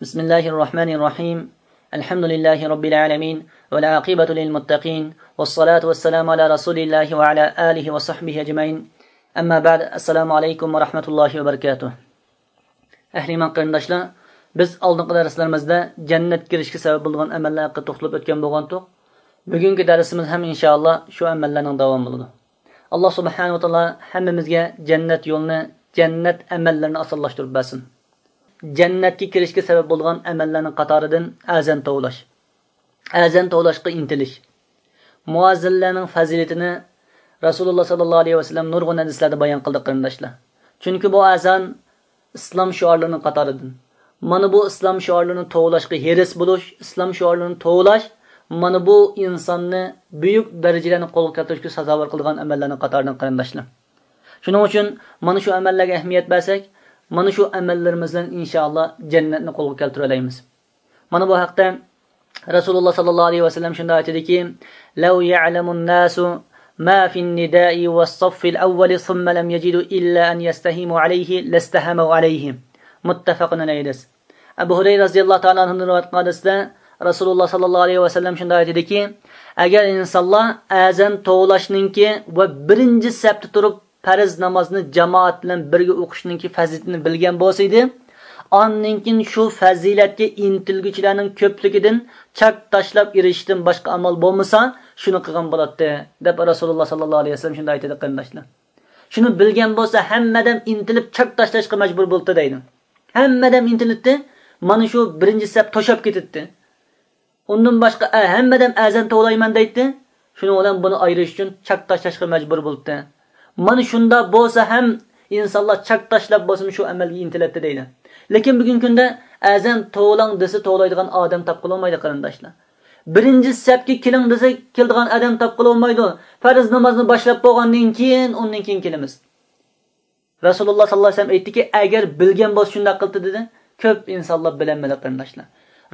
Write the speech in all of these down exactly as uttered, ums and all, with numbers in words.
بسم الله الرحمن الرحيم. الحمد لله رب العالمين، والعاقبة للمتقين، والصلاة والسلام على رسول الله وعلى آله وصحبه أجمعين. أما بعد، السلام عليكم ورحمة الله وبركاته. ئەھلى ئىمان قېرىنداشلار، بىز ئالدىنقى دەرسلىرىمىزدە جەننەتكە كىرىشكە سەۋەب بولىدىغان ئەمەللەر ھەققىدە توختىلىپ ئۆتكەن بولغانتۇق. بۈگۈنكى دەرسىمىز ھەم ئىنشائاللا شۇ ئەمەللەرنىڭ داۋامى بولىدۇ. ئاللا سۇبھانەھۇ ۋە تائالا ھەممىمىزگە جەننەت يولىنى، جەننەت ئەمەللىرىنى ئاسانلاشتۇرۇپ بەرسۇن. جەننەتكە كىرىشكە سەۋەب بولىدىغان ئەمەللەرنىڭ قاتارىدىن ئەزان توۋلاش. ئەزان توۋلاشقا ئىنتىلىش. مۇئەززىنلەرنىڭ پەزىلىتىنى رەسۇلۇللا ساللاللاھۇ ئەلەيھى ۋەسەللەم نۇرغۇن ھەدىسلەردە بايان قىلدى، قېرىنداشلار. چۈنكى بۇ ئەزان ئىسلام شوئارلىرىنىڭ قاتارىدىن. مانا بۇ ئىسلام شوئارلىرىنى توۋلاشقا ھېرىس بولۇش، ئىسلام شوئارلىرىنى توۋلاش، مانا بۇ ئىنساننى بۈيۈك دەرىجىلەرنى قولغا كەلتۈرۈشكە سازاۋەر قىلىدىغان ئەمەللەرنىڭ قاتارىدىن، قېرىنداشلار. شۇنىڭ ئۈچۈن مانا شۇ ئەمەللەرگە ئەھمىيەت بەرسەك، مانا شۇ ئەمەللىرىمىز بىلەن ئىنشائاللا جەننەتنى قولغا كەلتۈرەلەيمىز. مانا بۇ ھەقتە رەسۇلۇللا ساللاللاھۇ ئەلەيھى ۋەسەللەم شۇنداق ئېيتىدىكى، لو يعلم الناس ما في النداء والصف الأول ثم لم يجدوا إلا أن يستهموا عليه لاستهموا عليه. مۇتتەپەقۇن ئەلەيھى. ئەبۇ ھۇرەيرە رەزىياللاھۇ تائالا ئەنھۇدىن رىۋايەت قىلغان ھەدىستە رەسۇلۇللا ساللاللاھۇ ئەلەيھى ۋەسەللەم شۇنداق ئېيتىدىكى، ئەگەر ئىنسانلار ئەزان توۋلاشنىڭكى ۋە بىرىنچى سەپتە تۇرۇپ پەرز نامازنى جامائەت بىلەن بىرگە ئوقۇشنىڭكى پەزىلىتىنى بىلگەن بولسا ئىدى، ئاندىن كېيىن شۇ پەزىلەتكە ئىنتىلگۈچىلەرنىڭ كۆپلۈكىدىن چاك تاشلاپ ئېرىشىشتىن باشقا ئامال بولمىسا، شۇنى قىلغان بولاتتى، دەپ رەسۇلۇللا ساللاللاھۇ ئەلەيھى ۋەسەللەم شۇنداق ئېيتىدۇ، قېرىنداشلار. شۇنى بىلگەن بولسا، ھەممە ئادەم ئىنتىلىپ چاك تاشلاشقا مەجبۇر بولاتتى دەيدۇ. ھەممە ئادەم ئىنتىلەتتى، مانا شۇ بىرىنچى سەپ توشاپ كېتەتتى. ئۇندىن باشقا، ئە، ھەممە ئادەم ئەزان توۋلايمەن دەيتتى. شۇنىڭ بىلەن بۇنى ئايرىش ئۈچۈن چاك تاشلاشقا مەجبۇر بولۇپتۇ. مانا شۇنداق بولسا ھەم ئىنسانلار چاك تاشلاپ بولسىمۇ شۇ ئەمەلگە ئىنتىلەتتى دەيدۇ. لېكىن بۈگۈنكى كۈندە ئەزان توۋلاڭ دېسە توۋلايدىغان ئادەم تاپقىلى بولمايدۇ، قېرىنداشلار. بىرىنچى سەپكە كېلىڭ دېسە كېلىدىغان ئادەم تاپقىلى بولمايدۇ. پەرز نامازنى باشلاپ بولغاندىن كېيىن، ئۇندىن كېيىن كېلىمىز. رەسۇلۇللا ساللاللاھۇ ئەلەيھى ۋەسەللەم ئېيتتىكى، ئەگەر بىلگەن بولسا شۇنداق قىلاتتى دېدى. كۆپ ئىنسانلار بىلەلمىدى، قېرىنداشلار.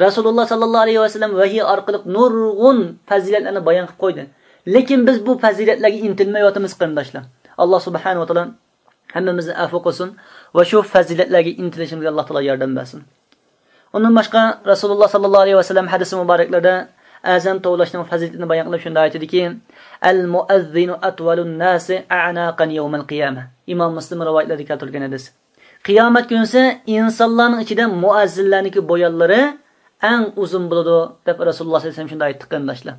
رەسۇلۇللا ساللاللاھۇ ئەلەيھى ۋەسەللەم ۋەھىي ئارقىلىق نۇرغۇن پەزىلەتلەرنى بايان قىلىپ قويدى. لېكىن بىز بۇ پەزىلەتلەرگە ئىنتىلمەيۋاتىمىز، قېرىنداشلار. ئاللا سۇبھانەھۇ ۋە تائالا ھەممىمىزنى ئەپۇ قىلسۇن ۋە شۇ پەزىلەتلەرگە ئىنتىلىشىمىزگە ئاللا تائالا ياردەم بەرسۇن. ئۇندىن باشقا، رەسۇلۇللا ساللاللاھۇ ئەلەيھى ۋەسەللەم ھەدىسى مۇبارەكلىرىدە ئەزان توۋلاشنىڭ پەزىلىتىنى بايان قىلىپ شۇنداق ئېيتىدىكى، المؤذن أطول الناس أعناقا يوم القيامة. ئىمام مۇسلىم رىۋايەتلىرىدە كەلتۈرگەن ھەدىس. قىيامەت كۈنىسى ئىنسانلارنىڭ ئىچىدە مۇئەززىنلەرنىڭكى بويۇنلىرى ئەڭ ئۇزۇن بولىدۇ، دەپ رەسۇلۇللا ساللاللاھۇ ئەلەيھى ۋەسەللەم شۇنداق ئېيتتى، قېرىنداشلار.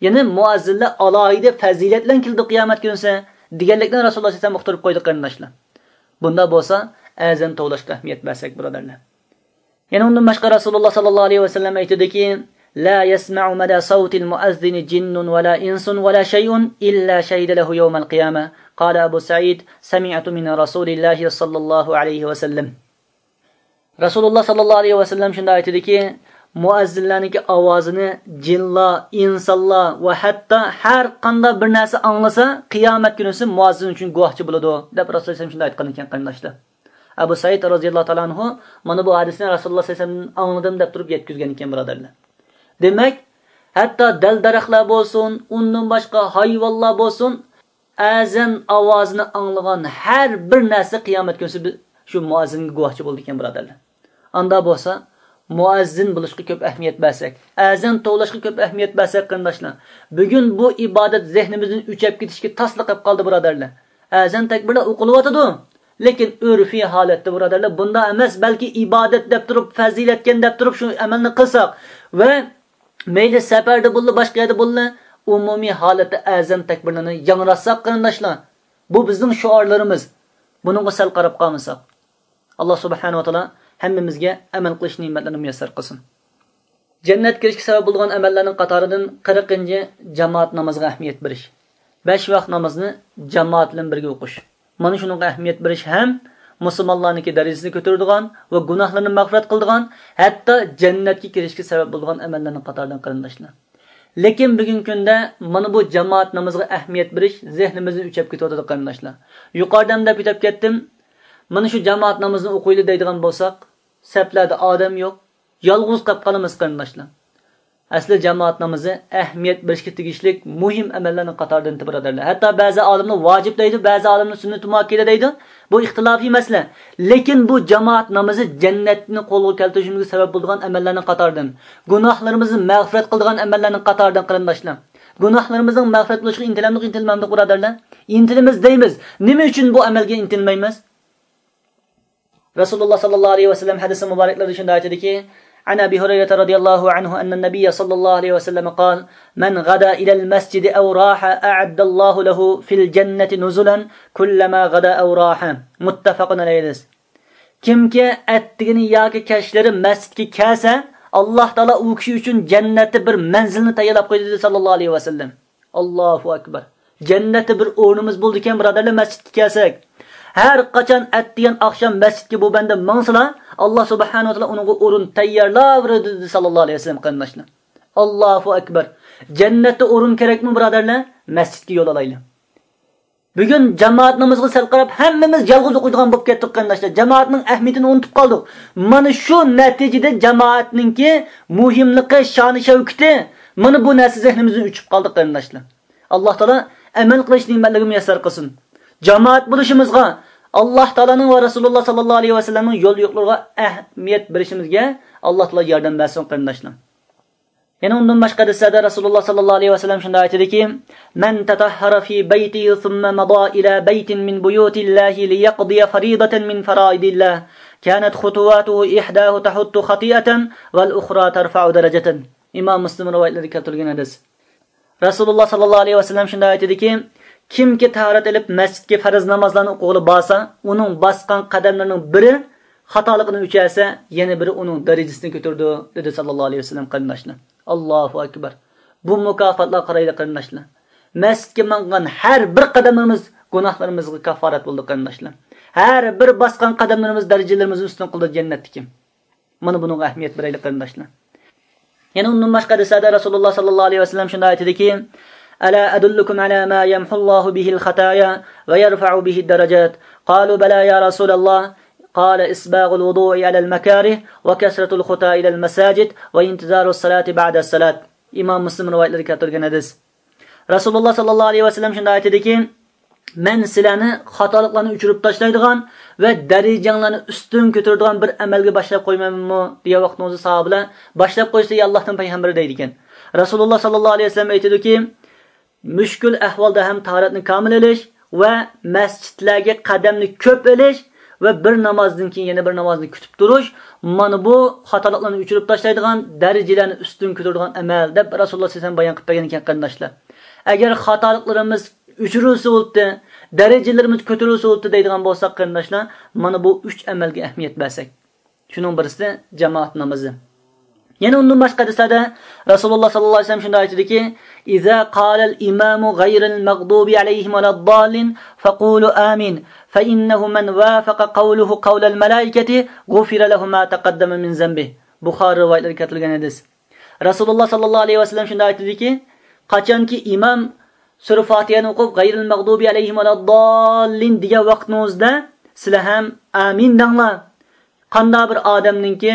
يەنى مۇئەززىنلەر ئالاھىدە پەزىلەت بىلەن كېلىدۇ قىيامەت كۈنىسى، دېگەنلىكنى رەسۇلۇللا ساللاللاھۇ ئەلەيھى ۋەسەللەم ئۇقتۇرۇپ قويدى، قېرىنداشلار. بۇنداق بولسا، ئەزان توۋلاشقا ئەھمىيەت بەرسەك، بۇرادەرلەر. يەنە ئۇندىن باشقا رەسۇلۇللا ساللاللاھۇ ئەلەيھى ۋەسەللەم ئېيتىدىكى، لا يسمع مدى صوت المؤذن جن ولا إنس ولا شيء إلا شهد له يوم القيامة. قال أبو سعيد، سمعت من رسول الله صلى الله عليه وسلم. رەسۇلۇللا ساللاللاھۇ ئەلەيھى ۋەسەللەم شۇنداق ئېيتىدىكى، مۇئەززىنلەرنىڭكى ئاۋازىنى جىنلار، ئىنسانلار ۋە ھەتتا ھەر قانداق بىر نەرسە ئاڭلىسا، قىيامەت كۈنىسى مۇئەززىن ئۈچۈن گۇۋاھچى بولىدۇ، دەپ رەسۇلۇللا ساللاللاھۇ ئەلەيھى ۋەسەللەم شۇنداق ئېيتقان ئىكەن، قېرىنداشلار. ئەبۇ سەئىد رەزىياللاھۇ تائالا ئەنھۇ مانا بۇ ھەدىسنى رەسۇلۇللا ساللاللاھۇ ئەلەيھى ۋەسەللەمدىن ئاڭلىدىم دەپ تۇرۇپ يەتكۈزگەن ئىكەن، بۇرادەرلەر. دېمەك، ھەتتا دەل-دەرەخلەر بولسۇن، ئۇندىن باشقا ھايۋانلار بولسۇن، ئەزان ئاۋازىنى ئاڭلىغان ھەر بىر نەرسە قىيامەت كۈنىسى بىز شۇ مۇئەززىنگە گۇۋاھچى بولىدىكەن، بۇرادەرلەر. ئاندا بولسا، مۇئەززىن بولۇشقا كۆپ ئەھمىيەت بەرسەك، ئەزان توۋلاشقا كۆپ ئەھمىيەت بەرسەك، قېرىنداشلار، بۈگۈن بۇ ئىبادەت زېھنىمىزدىن ئۆچۈپ كېتىشكە تاسلا قېلىپ قالدى، بۇرادەرلەر. ئەزان تەكبىرلەر ئوقۇلۇۋاتىدۇ، لېكىن ئۆرفىي ھالەتتە، بۇرادەرلەر، بۇنداق ئەمەس، بەلكى ئىبادەت دەپ تۇرۇپ، پەزىلەتكەن دەپ تۇرۇپ شۇ ئەمەلنى قىلساق ۋە مەيلى سەپەردە بوللا، باشقا يەردە بوللا، ئومۇمىي ھالەتتە ئەزان تەكبىرلىرىنى ياڭراتساق، قېرىنداشلار، بۇ بىزنىڭ شوئارلىرىمىز. بۇنىڭغا سەل قاراپ قالمىساق. ئاللا سۇبھانەھۇ ۋە تائالا ھەممىمىزگە ئەمەل قىلىش نېمەتلىرىنى مۇيەسسەر قىلسۇن. جەننەتكە كىرىشكە سەۋەب بولىدىغان ئەمەللەرنىڭ قاتارىدىن قىرىقىنچى، جامائەت نامىزىغا ئەھمىيەت بېرىش. بەش ۋاق نامازنى جامائەت بىلەن بىرگە ئوقۇش. مانا شۇنىڭغا ئەھمىيەت بېرىش ھەم مۇسۇلمانلارنىڭكى دەرىجىسىنى كۆتۈرىدىغان ۋە گۇناھلىرىنى مەغپىرەت قىلىدىغان، ھەتتا جەننەتكە كىرىشكە سەۋەب بولىدىغان ئەمەللەرنىڭ قاتارىدىن، قېرىنداشلار. لېكىن بۈگۈنكى كۈندە مانا بۇ جامائەت نامىزىغا ئەھمىيەت بېرىش زېھنىمىزدىن ئۆچۈپ كېتىۋاتىدۇ، قېرىنداشلار. يۇقىرىدا ھەم دەپ ئۆتۈپ كەتتىم. مانا شۇ جامائەت نامىزىنى ئوقۇيلى دەيدىغان بولساق، سەپلەردە ئادەم يوق، يالغۇز قېلىپ قالىمىز، قېرىنداشلار. ئەسلى جامائەت نامىزى ئەھمىيەت بېرىشكە تېگىشلىك مۇھىم ئەمەللەرنىڭ قاتارىدىن، بۇرادەرلەر. ھەتتا بەزى ئالىملار ۋاجىپ دەيدۇ، بەزى ئالىملار سۈننىتى مۇئەككەدە دەيدۇ. بۇ ئىختىلاپىي مەسىلە. لېكىن بۇ جامائەت نامىزى جەننەتنى قولغا كەلتۈرۈشىمىزگە سەۋەب بولىدىغان ئەمەللەرنىڭ قاتارىدىن، گۇناھلىرىمىزنى مەغپىرەت قىلىدىغان ئەمەللەرنىڭ قاتارىدىن، قېرىنداشلار. گۇناھلىرىمىزنىڭ مەغپىرەت بولۇشىغا ئىنتىلەمدۇق، ئىنتىلمەمدۇق، بۇرادەرلەر؟ ئىنتىلىمىز دەيمىز. نېمە ئۈچۈن بۇ ئەمەلگە ئىنتىلمەيمىز؟ رەسۇلۇللا ساللاللاھۇ ئەلەيھى ۋەسەللەم ھەدىسى مۇبارەكلىرىدە شۇنداق ئېيتىدىكى، عن أبي هريرة رضي الله عنه أن النبي صلى الله عليه وسلم قال: من غدا إلى المسجد أو راح أعد الله له في الجنة نزلا كلما غدا أو راح. متفق عليه. كىمكى ئەتىگىنى ياكى كەچلىرى مەسچىتكە كەلسە، ئاللاھ تائالا ئۇ كىشى ئۈچۈن جەننەتتە بىر مەنزىلنى تەييارلاپ قويدى، دېدى ساللاللاھۇ ئەلەيھى ۋەسەللەم. ئاللاھۇ ئەكبەر. جەننەتتە بىر ئورنىمىز بولىدىكەن، بۇرادەرلەر، مەسچىتكە كەلسەك. ھەر قاچان ئەتىگەن ئاخشام مەسچىتكە بۇ بەندە ماڭسىلا، ئاللاھ سۇبھانەھۇ ۋە تائالا ئۇنىڭغا ئورۇن تەييارلاۋېرىدۇ، دېدى ساللاللاھۇ ئەلەيھى ۋەسەللەم، قېرىنداشلار. ئاللاھۇ ئەكبەر. جەننەتتە ئورۇن كېرەكمۇ، بۇرادەرلەر؟ مەسچىتكە يول ئالايلى. بۈگۈن جامائەت نامىزىغا سەل قاراپ، ھەممىمىز يالغۇز ئوقۇيدىغان بولۇپ كەتتۇق، قېرىنداشلار. جامائەتنىڭ ئەھمىيىتىنى ئۇنتۇپ قالدۇق. مانا شۇ نەتىجىدە جامائەتنىڭكى مۇھىملىقى، شانى شەۋكىتى، مانا بۇ نەرسە زېھنىمىزدىن ئۆچۈپ قالدى، قېرىنداشلار. ئاللاھ تائالا ئەمەل قىلىش نېمەتلىرىنى مۇيەسسەر قىلسۇن. جامائەت بولۇشىمىزغا، ئاللاھ تائالانىڭ ۋە رەسۇلۇللا ساللاللاھۇ ئەلەيھى ۋەسەللەمنىڭ يول يورۇقلىرىغا ئەھمىيەت بېرىشىمىزگە ئاللاھ تائالا ياردەم بەرسۇن، قېرىنداشلار. يەنە ئۇندىن باشقا ھەدىسلەردە رەسۇلۇللا ساللاللاھۇ ئەلەيھى ۋەسەللەم شۇنداق ئېيتىدىكى، من تطهر في بيته ثم مضى إلى بيت من بيوت الله ليقضي فريضة من فرائض الله كانت خطواته إحداها تحط خطيئة والأخرى ترفع درجة. ئىمام مۇسلىم رىۋايەتلىرىدە كەلتۈرۈلگەن ھەدىس. رەسۇلۇللا ساللاللاھۇ ئەلەيھى ۋەسەللەم شۇنداق ئېيتىدىكى، كىمكى تاھارەت ئېلىپ مەسچىتكە پەرز نامازلارنى ئوقۇغىلى بارسا، ئۇنىڭ باسقان قەدەملىرىنىڭ بىرى خاتالىقىنى ئۆچۈرسە، يەنە بىرى ئۇنىڭ دەرىجىسىنى كۆتۈرىدۇ، دېدى ساللاللاھۇ ئەلەيھى ۋەسەللەم، قېرىنداشلار. ئاللاھۇ ئەكبەر. بۇ مۇكاپاتلارغا قارايلى، قېرىنداشلار. مەسچىتكە ماڭغان ھەر بىر قەدەملىرىمىز گۇناھلىرىمىزغا كافارەت بولىدۇ، قېرىنداشلار. ھەر بىر باسقان قەدەملىرىمىز دەرىجىلىرىمىزنى ئۈستۈن قىلىدۇ جەننەتتىكى. مانا بۇنىڭغا ئەھمىيەت بېرەيلى، قېرىنداشلار. يەنە ئۇندىن باشقا ھەدىسلەردە رەسۇلۇللا ساللاللاھۇ ئەلەيھى ۋەسەللەم شۇنداق ئېيتىدىكى، ألا أدلكم على ما يمحو الله به الخطايا ويرفع به الدرجات؟ قالوا بلى يا رسول الله. قال إسباغ الوضوء على المكاره وكثرة الخطى إلى المساجد وانتظار الصلاة بعد الصلاة. ئىمام مۇسلىم رىۋايەتلىرىدە كەلتۈرگەن ھەدىس. رەسۇلۇللا ساللاللاھۇ ئەلەيھى ۋەسەللەم شۇنداق ئېيتىدىكى، مەن سىلەرنى خاتالىقلارنى ئۆچۈرۈپ تاشلايدىغان ۋە دەرىجەڭلارنى ئۈستۈن كۆتۈرىدىغان بىر ئەمەلگە باشلاپ قويمايمەنمۇ؟ دېگەن ۋاقتىڭىزدا ساھابىلەر، باشلاپ قويسا، ئەي ئاللاھنىڭ پەيغەمبىرى، دەيدىكەن. رەسۇلۇللا ساللاللاھۇ ئەلەيھى ۋەسەللەم ئېيتىدۇكى، مۈشكۈل ئەھۋالدا ھەم تاھارەتنى كامىل ئېلىش ۋە مەسچىتلەرگە قەدەمنى كۆپ ئېلىش ۋە بىر نامازدىن كېيىن يەنە بىر نامازنى كۈتۈپ تۇرۇش، مانا بۇ خاتالىقلارنى ئۆچۈرۈپ تاشلايدىغان، دەرىجىلەرنى ئۈستۈن كۆتۈرىدىغان ئەمەل، دەپ رەسۇلۇللا سەللەللاھۇ ئەلەيھى ۋەسەللەم بايان قىلىپ بەرگەن ئىكەن، قېرىنداشلار. ئەگەر خاتالىقلىرىمىز ئۆچۈرۈلسە بولدى، دەرىجىلىرىمىز كۆتۈرۈلسە بولدى دەيدىغان بولساق، قېرىنداشلار، مانا بۇ ئۈچ ئەمەلگە ئەھمىيەت بەرسەك. شۇنىڭ بىرسى جامائەت نامىزى. يەنە ئۇندىن باشقا ھەدىسلەردە رەسۇلۇللا ساللاللاھۇ ئەلەيھى ۋەسەللەم شۇنداق ئېيتىدىكى، إذا قال الإمام غير المغضوب عليهم ولا الضالين فقولوا آمين، فإنه من وافق قوله قول الملائكة غفر له ما تقدم من ذنبه. بۇخارى رىۋايەتلىرىدە كەلتۈرۈلگەن ھەدىس. رەسۇلۇللا ساللاللاھۇ ئەلەيھى ۋەسەللەم شۇنداق ئېيتىدىكى، قاچانكى ئىمام سۈرە فاتىھەنى ئوقۇپ، غەيرىل مەغدۇبى ئەلەيھىم ۋەلەدداللىن دېگەن ۋاقتىڭىزدا، سىلەر ھەم ئامىن دەڭلار. قانداق بىر ئادەمنىڭكى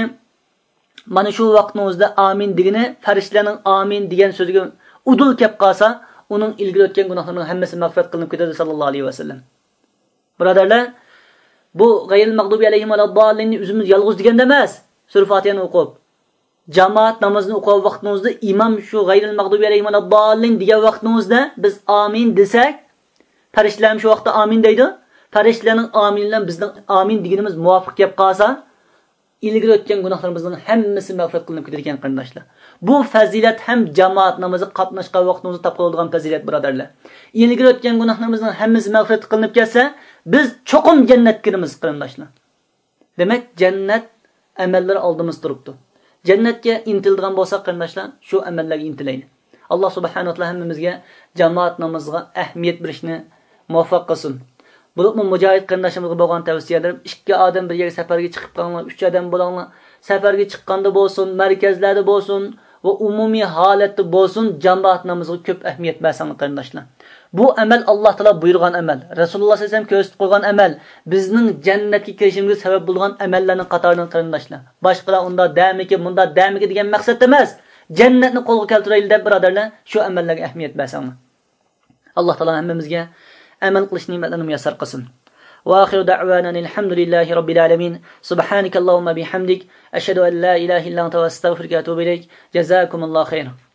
مانا شۇ ۋاقتىڭىزدا ئامىن دېگىنى، پەرىشتىلەرنىڭ ئامىن دېگەن سۆزىگە ئۇدۇل كەپ قالسا، ئۇنىڭ ئىلگىرى ئۆتكەن گۇناھلىرىنىڭ ھەممىسى مەغپىرەت قىلىنىپ كېتىدۇ، ساللاللاھۇ ئەلەيھى ۋەسەللەم. بۇرادەرلەر، بۇ غەيرىل مەغدۇبى ئەلەيھىم ۋەلەدداللىننى ئۆزىمىز يالغۇز دېگەندە ئەمەس، سۈرە فاتىھەنى ئوقۇپ، جامائەت نامىزىنى ئوقۇغان ۋاقتىڭىزدا ئىمام شۇ غەيرىل مەغدۇبى ئەلەيھىم ۋەلەدداللىن دېگەن ۋاقتىڭىزدا بىز ئامىن دېسەك، پەرىشتىلەرمۇ شۇ ۋاقىتتا ئامىن دەيدۇ. پەرىشتىلەرنىڭ ئامىنى بىلەن بىزنىڭ ئامىن دېگىنىمىز مۇۋاپىق كەپ قالسا، ئىلگىرى ئۆتكەن گۇناھلىرىمىزنىڭ ھەممىسى مەغپىرەت قىلىنىپ كېتىدىكەن، قېرىنداشلار. بۇ پەزىلەت ھەم جامائەت نامىزىغا قاتناشقان ۋاقتىمىزدا تاپقىلىدىغان پەزىلەت، بۇرادەرلەر. ئىلگىرى ئۆتكەن گۇناھلىرىمىزنىڭ ھەممىسى مەغپىرەت قىلىنىپ كەتسە، بىز چوقۇم جەننەتكە كىرىمىز، قېرىنداشلار. دېمەك، جەننەت ئەمەللىرى ئالدىمىزدا تۇرۇپتۇ. جەننەتكە ئىنتىلىدىغان بولساق، قېرىنداشلار، شۇ ئەمەللەرگە ئىنتىلەيلى. ئاللا سۇبھانەھۇ ۋە تائالا ھەممىمىزگە جامائەت نامىزىغا ئەھمىيەت بېرىشنى مۇۋەپپەق قىلسۇن. بولۇپمۇ مۇجاھىد قېرىنداشلىرىمىزغا بولغان تەۋسىيەلىرىم، ئىككى ئادەم بىر يەرگە سەپەرگە چىقىپ قالىڭلار، ئۈچ ئادەم بولۇڭلار. سەپەرگە چىققاندا بولسۇن، مەركەزلەردە بولسۇن ۋە ئومۇمىي ھالەتتە بولسۇن، جامائەت نامىزىغا كۆپ ئەھمىيەت بەرسەڭلار، قېرىنداشلار. بۇ ئەمەل ئاللا تائالا بۇيرۇغان ئەمەل، رەسۇلۇللا سەللەللاھۇ ئەلەيھى ۋەسەللەم كۆرسىتىپ قويغان ئەمەل، بىزنىڭ جەننەتكە كىرىشىمىزگە سەۋەب بولىدىغان ئەمەللەرنىڭ قاتارىدىن، قېرىنداشلار. باشقىلار ئۇنداق دەمىكى، مۇنداق دەمىكى دېگەن مەقسەتتە ئەمەس. جەننەتنى قولغا كەلتۈرەيلى دەپ، بۇرادەرلەر، شۇ ئەمەللەرگە ئەھمىيەت بەرسەڭلار. ئاللا تائالا ھەممىمىزگە ئەمەل قىلىش نېمەتلىرىنى مۇيەسسەر قىلسۇن. وآخر دعوانا أن الحمد لله رب العالمين. سبحانك اللهم بحمدك، أشهد أن لا إله إلا أنت، أستغفرك وأتوب إليك. جزاكم الله خيرا.